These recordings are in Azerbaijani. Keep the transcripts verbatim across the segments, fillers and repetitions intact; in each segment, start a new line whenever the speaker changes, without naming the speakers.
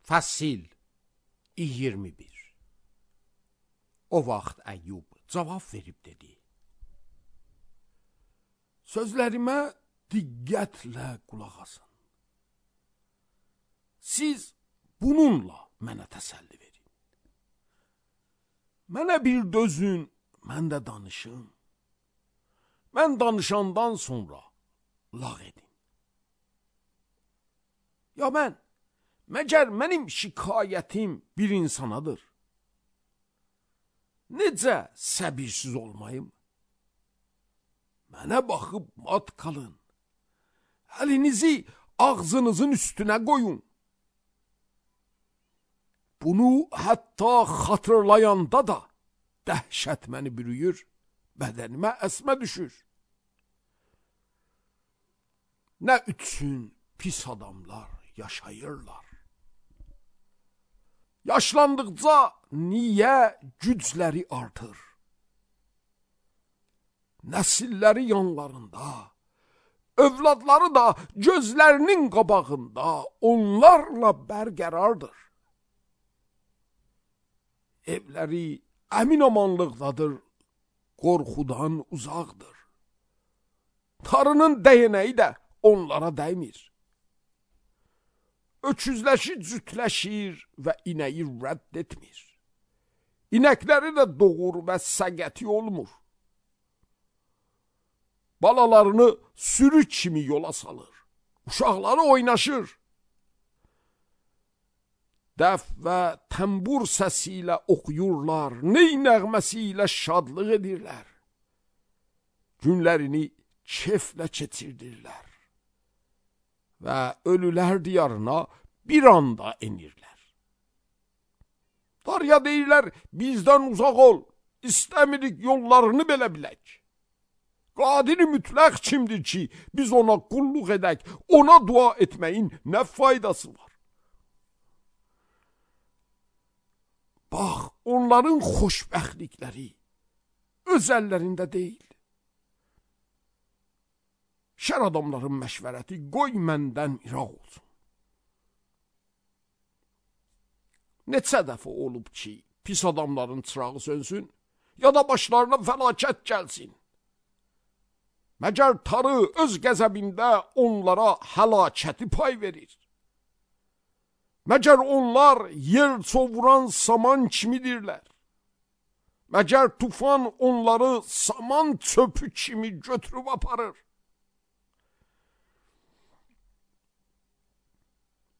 Fəsil iyirmi bir. O vaxt Əyyub cavab verib dedi: Sözlərimə diqqətlə qulaq asın. Siz bununla mənə təsəlli verin. Mənə bir dözün, mən də danışım. Mən danışandan sonra lağ edin. Ya mən, məgər mənim şikayətim bir insanadır. Necə səbirsiz olmayım? Mənə baxıb mat qalın. Əlinizi ağzınızın üstünə qoyun. Bunu hətta xatırlayanda da dəhşət məni bürüyür, bədənimə əsmə düşür. Nə üçün pis adamlar yaşayırlar? Yaşlandıqca niyə gücləri artır? Nəsilləri yanlarında, övladları da gözlərinin qabağında onlarla bərqərardır. Evləri əmin-amanlıqdadır, qorxudan uzaqdır. Tarının dəyənəyi də onlara dəymir. Öküzləşi cütləşir və inəyi rədd etmir. İnəkləri də doğur və səgəti olmur. Balalarını sürü kimi yola salır. Uşaqları oynaşır. Dəf və təmbur səsi ilə oxuyurlar, ney nəğməsi ilə şadlıq edirlər. Günlərini keflə keçirdirlər və ölülər diyarına bir anda enirlər. Darya deyirlər, bizdən uzaq ol, istəmirik yollarını belə bilək. Qadiri mütləq kimdir ki, biz ona qulluq edək, ona dua etməyin nə faydası var? Bax, onların xoşbəxtlikləri öz əllərində deyil. Şər adamların məşvərəti qoy məndən iraq olsun. Neçə dəfə olub ki, pis adamların çırağı sönsün, ya da başlarına fəlakət gəlsin. Məgər Tanrı öz qəzəbində onlara həlakəti pay verir. Məgər onlar yer çovuran saman kimidirlər. Məgər tufan onları saman çöpü kimi götürüb aparır.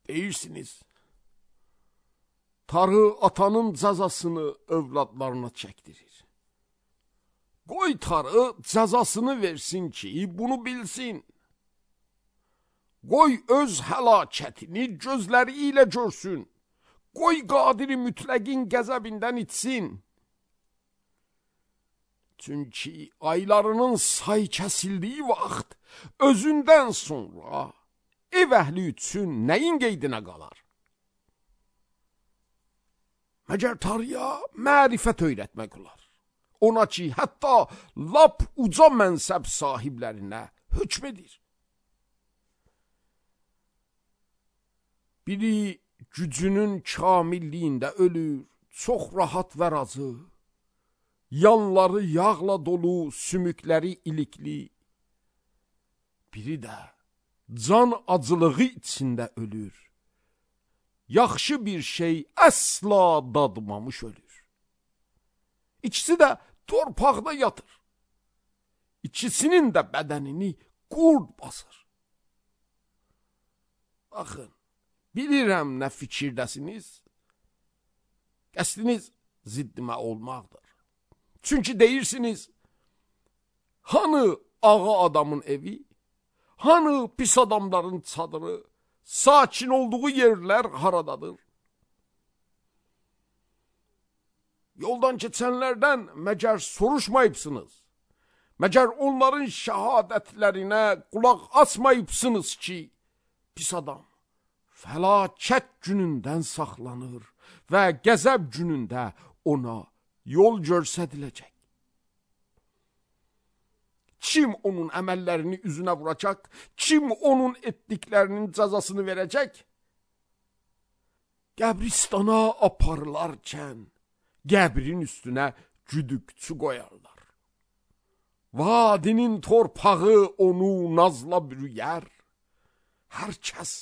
Deyirsiniz, Tanrı atanın cəzasını övladlarına çəkdirir. Qoy Tanrı cəzasını versin ki, bunu bilsin. Qoy öz həlakətini gözləri ilə görsün. Qoy qadiri mütləqin qəzəbindən içsin. Çünki aylarının say kəsildiyi vaxt özündən sonra ev əhli üçün nəyin qeydinə qalar? Məgər Tanrıya mərifət öyrətmək olar. Ona ki, hətta lap uca mənsəb sahiblərinə hökm edir. Biri gücünün kamilliyində ölür, çox rahat və razı. Yanları yağla dolu, sümükləri ilikli. Biri də can acılığı içində ölür. Yaxşı bir şey əsla dadmamış ölür. İkisi də torpaqda yatır. İkisinin də bədənini qurd basır. Baxın, bilirəm nə fikirdəsiniz. Qəsdiniz ziddimə olmaqdır. Çünki deyirsiniz, hanı ağa adamın evi, hanı pis adamların çadırı, sakin olduğu yerlər haradadır? Yoldan keçənlərdən məgər soruşmayıbsınız? Məgər onların şəhadətlərinə qulaq asmayıbsınız ki, pis adam fəlakət günündən saxlanır və qəzəb günündə ona yol göstəriləcək. Kim onun əməllərini üzünə vuracaq? Kim onun etdiklərinin cəzasını verəcək? qəbristana aparılarkən qəbrin üstünə güdükçü qoyarlar. Vadinin torpağı onu nazla bürüyər, hər kəs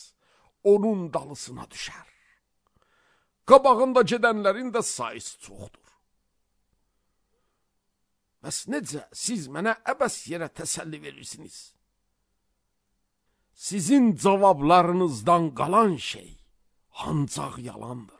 onun dalısına düşər. Qabağında gedənlərin də sayısı çoxdur. Bəs necə siz mənə əbəs yerə təsəlli verirsiniz? Sizin cavablarınızdan qalan şey ancaq yalandır.